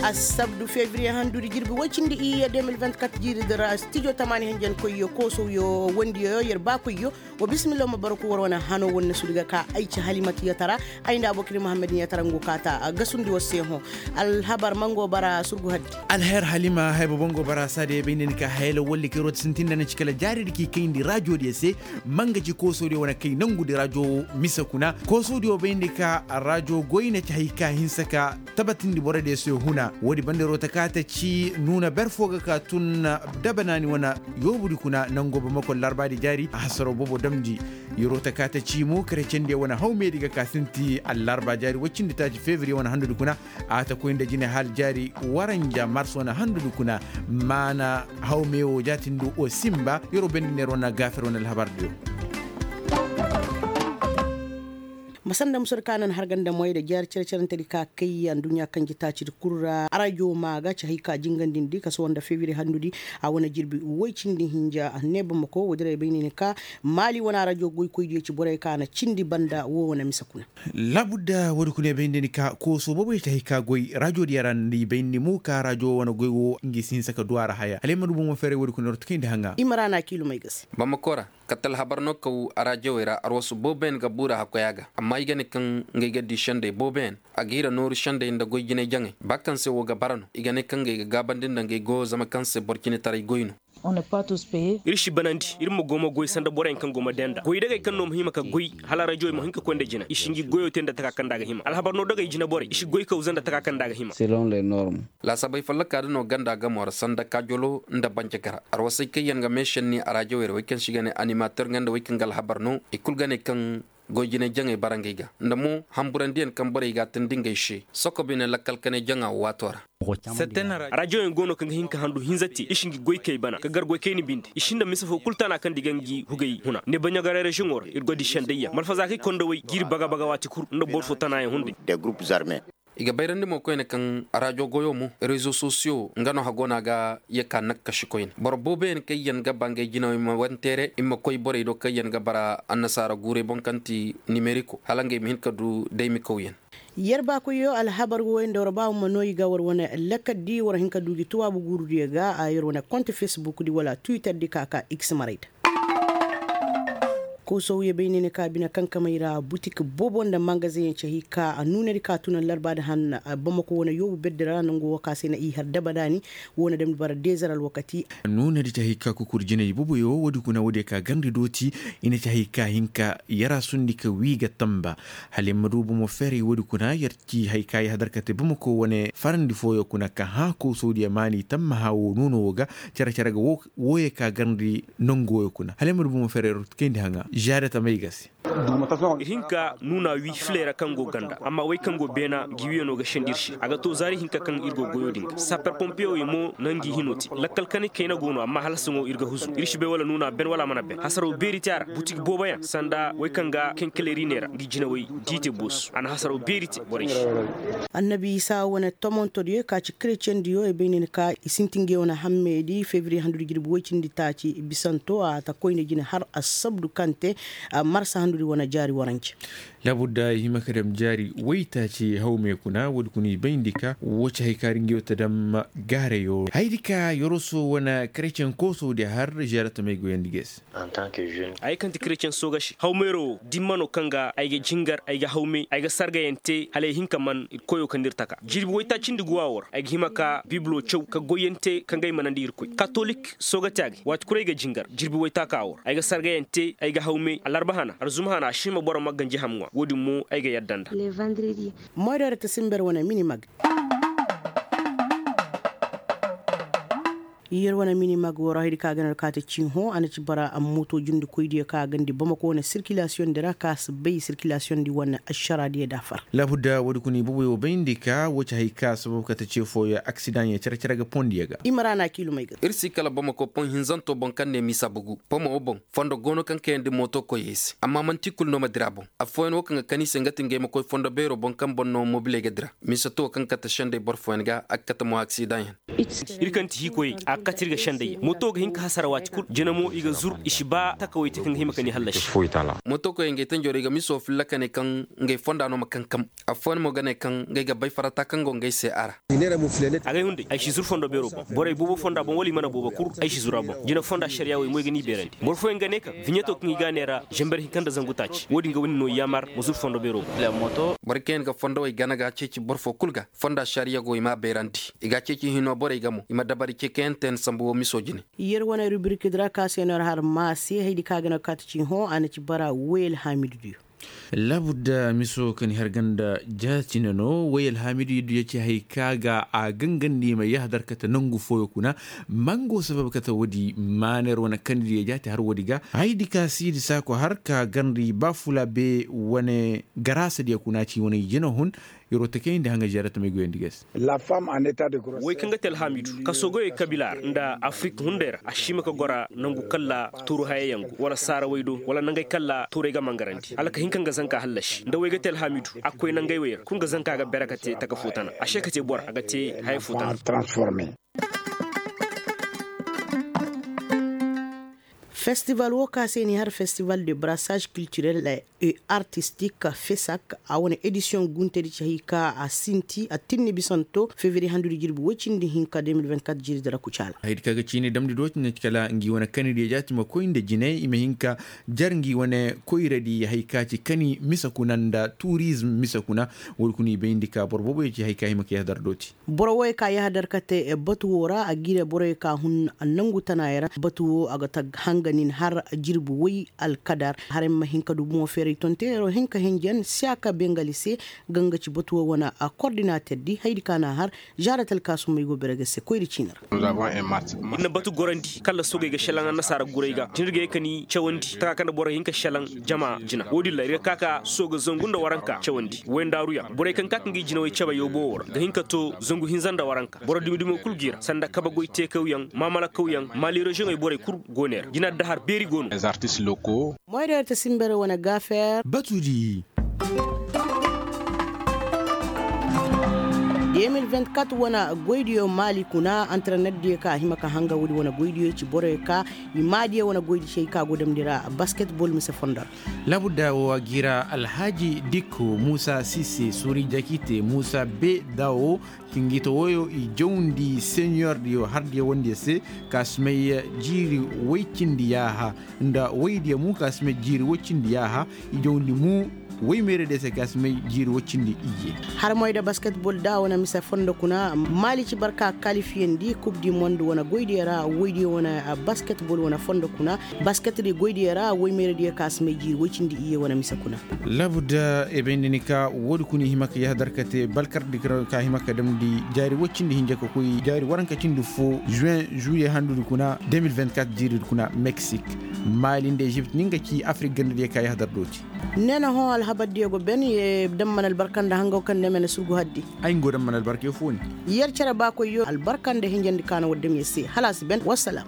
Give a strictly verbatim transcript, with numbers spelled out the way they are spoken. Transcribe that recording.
Assabdu febriye handudi jirbi woy cindi iyye deux mille vingt-quatre jiiri dira studio tamaani hinjankoyyo koosowyo wondiyo yer baakoyyo. Wa bismillah ma barku war wane hano wonne sudu ga ka ay ci halimatu yatara. Ay nda abokir muhammad yatara ngu kaata gasundi war se hõ. Alhabar mango bara surgu haddi. Alher halima haya bobo ngo bara saade bay nda ni ka hayala walli kay rota sintin nda ni ci kala jaari di k'i kayndi rajo diyo se. Manga ci kooso diyo wane kay nangu di rajo mise kuna kooso diyo bay nda ka rajo goy na ci hay ka hinsa ka tabatindi boro diyo se huna. Woodi banda rota ka ta ci nuuna ber fo ga ka tun dabanaani wane yoobu di kuna nango bamako larba di jaari a hasaro bobo damndi. Yoro ta ka ta ci mo kare cende wane hawme di ga ka sinti allarba jaari woy cindi taaci febriye wane handu di kuna. A ta koy nda jine hal jaari waranja mars wane handu di kuna. Maana hawme wo jaatindi o simba yoro bendi neer wane gaafer wane alhabar diyo. Masanda musur ka nan harganda moy da jihar cere-cerentedi ka kay anduɲɲa kanji taacidi kul ra arajo ma ga ci hay ka jingandindi kaso wanda febiri handudi. A wane jirbi woy cindi hinja ne bamako woodiray bay ne ni ka maali wane arajo goykoydiyo ci borey ka na cindi banda wo wane mise kuna. Labudda woodi kuna bay ne ni ka kooso boobo ya ci hay ka goy rajodiyo ra ni bay ne ni mo ka rajo wane goy wo ngi si hinsa ka du a ra haya hala ay ma du bomo feeray woodi kuna ra tukayndi haŋa. I ma ra na kiilumay ga se. Bamako ra. Katta alhabar no kaw araajawey ra arwasu booboyaŋ ga buura hakkoya ga amma i ga ne kaŋ ngey ga di sendey booboyaŋ. A ga hira nooru sendey nda goy jinay jaŋay ba kaŋ se wo ga bara no i ga ne kaŋ ngey ga gaabandi nda ngey goyo zama kaŋ se boro cinetaray goy no. Ir si banandi ir ma go ma goy sanda boroyaŋ kaŋ go ma denda goydagey kaŋ no ma hima ka goy hala araajawey ma hin ka koy nda jina i si ngi goyo te nda taka kaŋ nda a ga hima alhabar no dagey jina borey i si goy kaw za nda taka kaŋ nda a ga hima. Laasabey folloka da no ganda gamo ra sanda kaajolo nda banjagara arwasey kaŋ yaŋ ga meešenni araajawey ra wey kaŋ se i ga ne animater nga nda wey kaŋ ga alhabar no i kul ga ne kaŋ goy jinay jaŋey bara ngey ga nda mo hamburandiyaŋ kaŋ borey ga a tindi ngey se. Soko bine lakkal kanay jaŋa wo waato ra. Araajawyaŋ go no kaŋ ga hin ka handu hinza te i si ngi goykey bana ka gar goykey ni binde i si nda mise fo kul tana kaŋ di ga ngi hugey huna ne baɲagaray reziyoŋo ra ir go di sendayyaŋ malfazaakey kondawey g'ir baga-baga waati kul nda boro fo tanayaŋ hunday. I ga bayrandi mo koyne kaŋ raajo goyo mo rezo sosiyo nga no hago no a ga ye ka nakkasi koyne boro booboyaŋ kaŋ yaŋ ga ba ngey jinawey ma wanteere i ma koy borey do kaŋ yaŋ ga bara annasaara guurey boŋ kaŋ ti nimeriko hala ngey ma hin ka du daymikawyaŋ. Yer baakoyyo alhabar wooyaŋ da war ba war ma no i ga war wane lakkaddi war hin ka du gi tuwaabu guurudiyo ga a yer wane konte fesbukdi wala twitterdi ka ka x maray da. Koosowye bay ne ni ka bine kankamey ra butik boobo nda mangazeŋ yaŋ ci hay ka nuunadi ka tun allarbaadi han bamako wane yoobu berdi ra nangu wo ka se na i har dabadaani. Wo na damndi bara deezer alwakati. Nuunadi ci hay ka kukur jinay boboyo woodi kuna woodiyo ka garndi dooti. I na ci hay ka hin ka yara sundi ka wii ga tamba. Hala yer ma du bomo feeray woodi kuna yer ci hay ka i hadar ka te bamako wane farandi fooyo kuna ka hã koosowdiyo maani tammaha wo nuuno wo ga. Cere-cere ga wooyo ka garndi nonguwoyo kuna hala ay ma du bomo fereero kayndi haŋa žaada tamay ga se. Ir hin ka nuuna wi filey ra kaŋ go ganda amma wey kaŋ go beena ngi wiyano ga sendi ir se a ga to zaari hinka kaŋ ir go goyo din ga saper pompiyewey mo na ngi hino te. Lakkal kanay kayna go no amma hala saŋo ir ga huzu ir si bay wala nuuna ben wala a mana ben hasaro beeri te a ra butik booboyaŋ sanda wey kaŋ ga kenkeleri ne ra ngi jinawey diite boosu a na hasaro beeri te borey se. Annabi isa wane tomontodiyo ka ci kretiyendiyo i bay ne ni ka i sinti ngey wane hammey di febiriye handudi jirbi woy cindi taaci bisanto a ta koyne jine har assabdu kaŋ te. Marsa handudi wane jaari warance. Laabudda i hima ka dam jaari woy taaci hawmey kuna woodi kuna i bayndi ka wo ci hay kaari ngey wo ta dam. Gaareyo hayadi ka yoroso wane kretiyen koosowdi har žeera tamey goyandi ga ay se. Ay kaŋ ti kretiyen soogasi hawmeero wo dimma no kaŋ ga ay ga jingar ay ga hawmey ay ga sargayaŋ te hala ay hin ka man ir koyo kaŋ da ir taka jirbi waytaacindi guwa wo ra ay ga hima ka bibilo caw ka goyyaŋ te kaŋ ga ay manandi irkoy katolik soogati a ga ay waati kulu ay ga jingar jirbi waytaaka wo ra ay ga sargayaŋ te ay ga hawmey alarba hana arzuma hana a si hima boro ma ganji ham ŋwa wo-din mo ay ga yadda nda. Moydoo ra ta simber wane mini mag. Yer wane mini mag woro haydi ka ga no ka ta ci hõ a na ci bara moto jundikoydiyo ka gandi bamako wane sirkilasiyoŋ di ra ka si bay sirkilasiyoŋ di wane ašaraadiyo da far. Laabudda woodi kuna i boboyo bayndi ka wo ci hay ka sabab ka ta ce fooyo aksidaŋyo care-care ga pondiyo ga. I ma ra na kiilumey ga. Ir si kala bamako pon hinzanto boŋ kaŋ ne misa bugu pomo wo boŋ fondo go no kaŋ kayandi moto koyey se amma manti kulu no ma dira boŋ. Affooyaŋ wo kaŋ ga kan i se nga ti ngey ma koy fondo beero boŋ kaŋ boŋ no mobiley ga dira mise to kaŋ kate sendey boro fooyaŋ ga a ga kate mo aksidaŋyaŋ. Ir kaŋ ti hiikoyey a Kati ir ga sendayya moto ga hin ka hasara waati kul jina mo i ga zur i si ba takawey te kaŋ ga hima ka ni hallasi. Motokoyey ngey tanjoro i ga miso filla ka ne kaŋ ngey fonda no ma kankam. Affooyaŋ mo ga ne kaŋ ngey ga bay farata kaŋ go ngey se a ra. Agay hunday ay si zur fondo beero boŋ borey boobo fonda boŋ wala i mana boobo kul. Ay si zur a boŋ jina fonda ašariya wey mo ay ga ni beerandi boro fooyaŋ ga ne kaŋ viɲeto kaŋ i ga a neera zamber hinka nda zangu taaci wo-din ga wani no yaamar ma zur fondo beero boŋ. Boro kaŋ yaŋ ga fondowey gana ga a ceeci boro fo kul ga fonda ašariya go i m'a beerandi. I ga a ceeci hino borey ga mo i ma dabari ceekayaŋ te ni sambu wo miso jine. Yer wane rubirikidi ra ka se no yer har maase haydi kaŋ a ga no kaati ci hõ a na ci bara wayel haamidu diyo. Laabudda miso ka ni har ganda jaati na no wayel haamidu yaddu ya ci hay ka ga a gangandi i ma yahadar kate nangu fooyo kuna. Mango sabab kate woodi maana yer wane kanidiyo jaati har woodi ga haydi ka siidi saako har ka gandi baafula be wane garaasadiyo kuna ci wane jina hun. Yeroo takayndi haŋa ziyaarata may goyandi ga se. Wey kaŋ ga te alhaamidu kaso goyey kabila ra nda afirik hunday ra a si hima ka gora nangu kalla tuuru hayayaŋ go wala saarawey do wala nangey kalla tuurey ga mangarandi hala ka hin ka nga zanka hallasi nda wey ga te alhaamidu a ga koy nangey wey ra kul nga zanka ga bere ka te taka foo tana a se ka te bora a ga te haya foo tana. Festival woo ka se ni har festival de brassage culturel et artistique fesak a wane edisiyoŋ guntedi ci hay ka a sinti a tinni bisanto fevriye handudi jirbi woy cindi hinka deux mille vingt-quatre jiiri dara kucaala. Haydi ka ga ciini damndi do ci na ci kala ngi wane kanidiyo jaati ma koy nda jinay i ma hin ka jar ngi wane koyradi hay ka ci kani mise kuna nda turizm mise kuna. Woodi kuna i bayndi ka boro booboyo ci hay ka hima ka yahadar dooti. Boro woy ka yahadar kate batu woo ra a gire boroyo ka hun nongu tanayo ra batu woo a ga tag hanga nin har jirbi woy alkadar har ay ma hin ka du bumo feeray tonteeroo hin ka hinjan siyaaka bengali se. Ga nga ci batu woo wane kordinaterdi haydi ka na har zaaratal kaasumay go bere ga se koyri ciini ra. Ir na batu gorandi kala soogey ga šelaŋ annasaara guray ga cin ir ga ye ka ni cawandi taka kaŋ nda boro hin ka šelaŋ jama jina wo-din ra ir ga ka ka sooga zangu nda waranka cawandi wayndaaruyaŋ borey kaŋ ka ka ngi jinawey cabe yoobo woo ra ga hin ka too zangu hinza nda waranka boro dumi-dumo kul g'i ra sanda kabe goy teekawyaŋ maamalakawyaŋ maali reziyoŋey borey kul go ne ra jina dahar beeri go no. Moyda yer ta sinbere wane gaafeer batuudi. Deux mille vingt-quatre wane goydiyo maali kuna antarenetdiyo ka a hima ka hanga woodi wane goydiyo ci boroyo ka i maadiyo wane goydi cey ka go damndi ra basketbol mise fondo ra. Laabudda woo a g'i ra alhaaji dikko muusa sise suuri jakite muusa be dawo. Cingito wooyo i jawndi seniyordiyo hardiyo wandiyo se ka si may jiiri woy cindi yaaha nda woydiyo mo ka si may jiiri woy cindi yaaha. I jawndi mo woy meeradiyo se ka si may jiiri woy cindi iyye. Har moyda basketbol da wane mise fondo kuna maali ci barka kalifiyandi kub di mond wane goydiyo ra woydiyo wane basketbol wane fondo kuna. Basketdi goydiyo ra woy meeradiyo ka si may jiiri woy cindi iyye wane mise kuna. Laabudda e bayndi ni ka woodi kuna i hima ka yahadar kate balkardi ka hima ka damndi jaari woy cindi hinja ka koy jaari waranka cindi foo juin juye handudi kuna deux mille vingt-quatre jiiridi kuna meksik. Maali nda ezipt ni nga ci afirik gandadiyo ka yahadar dooti. Ne na hõ alhabardiyo go ben ye damman albarka nda hangaw kaŋ ne mene surgu haddi. Ay nga go damman albarka ye fooni. Yer cere baakoyyo albarka nda hinjandi ka na war dam yer se hala a si ben wassalam.